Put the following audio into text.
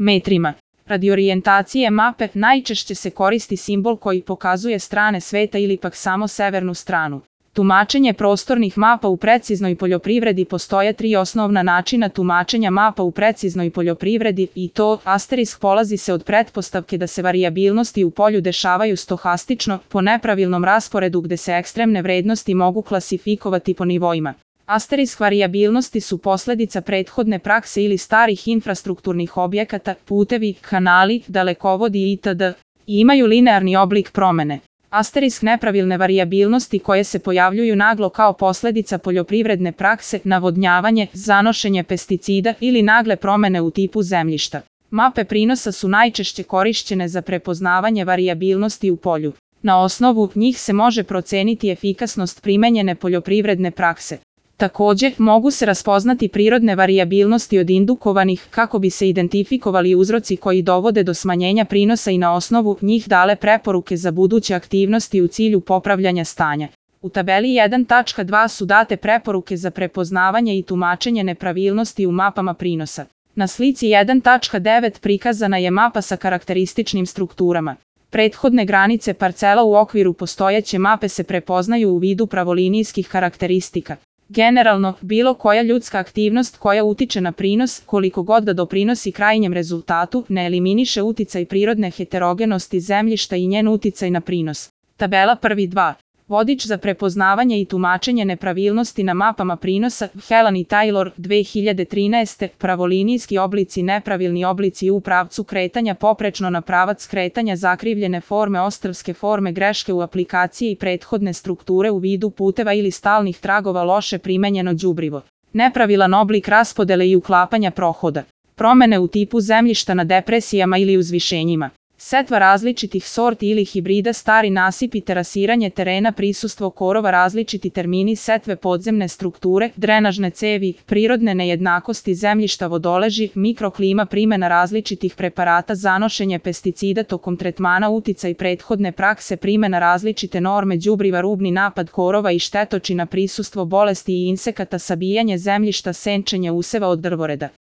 metrima. Radi orijentacije mape najčešće se koristi simbol koji pokazuje strane sveta ili pak samo severnu stranu. Tumačenje prostornih mapa u preciznoj poljoprivredi. Postoje 3 osnovna načina tumačenja mapa u preciznoj poljoprivredi i to asterisk polazi se od pretpostavke da se varijabilnosti u polju dešavaju stohastično po nepravilnom rasporedu gde se ekstremne vrednosti mogu klasifikovati po nivoima. Asterisk varijabilnosti su posledica prethodne prakse ili starih infrastrukturnih objekata, putevi, kanali, dalekovodi itd. i imaju linearni oblik promene. Asterisk nepravilne varijabilnosti koje se pojavljuju naglo kao posledica poljoprivredne prakse, navodnjavanje, zanošenje pesticida ili nagle promene u tipu zemljišta. Mape prinosa su najčešće korišćene za prepoznavanje varijabilnosti u polju. Na osnovu njih se može proceniti efikasnost primenjene poljoprivredne prakse. Takođe, mogu se raspoznati prirodne varijabilnosti od indukovanih kako bi se identifikovali uzroci koji dovode do smanjenja prinosa i na osnovu njih dale preporuke za buduće aktivnosti u cilju popravljanja stanja. U tabeli 1.2 su date preporuke za prepoznavanje i tumačenje nepravilnosti u mapama prinosa. Na slici 1.9 prikazana je mapa sa karakterističnim strukturama. Prethodne granice parcela u okviru postojeće mape se prepoznaju u vidu pravolinijskih karakteristika. Generalno, bilo koja ljudska aktivnost koja utiče na prinos, koliko god da doprinosi krajnjem rezultatu, ne eliminiše uticaj prirodne heterogenosti zemljišta i njen uticaj na prinos. Tabela 1.2. Vodič za prepoznavanje i tumačenje nepravilnosti na mapama prinosa, Helan i Taylor, 2013. Pravolinijski oblici, nepravilni oblici u pravcu kretanja poprečno na pravac kretanja, zakrivljene forme, ostrvske forme, greške u aplikaciji i prethodne strukture u vidu puteva ili stalnih tragova, loše primenjeno đubrivo. Nepravilan oblik raspodele i uklapanja prohoda. Promene u tipu zemljišta na depresijama ili uzvišenjima. Setva različitih sorti ili hibrida, stari nasipi, terasiranje terena, prisustvo korova, različiti termini setve, podzemne strukture, drenažne cevi, prirodne nejednakosti zemljišta, vodoleži, mikroklima, primena različitih preparata, zanošenje pesticida tokom tretmana, uticaj prethodne prakse, primena različite norme đubriva, rubni napad korova i štetočina, prisustvo bolesti i insekata, sabijanje zemljišta, senčenje useva od drvoreda.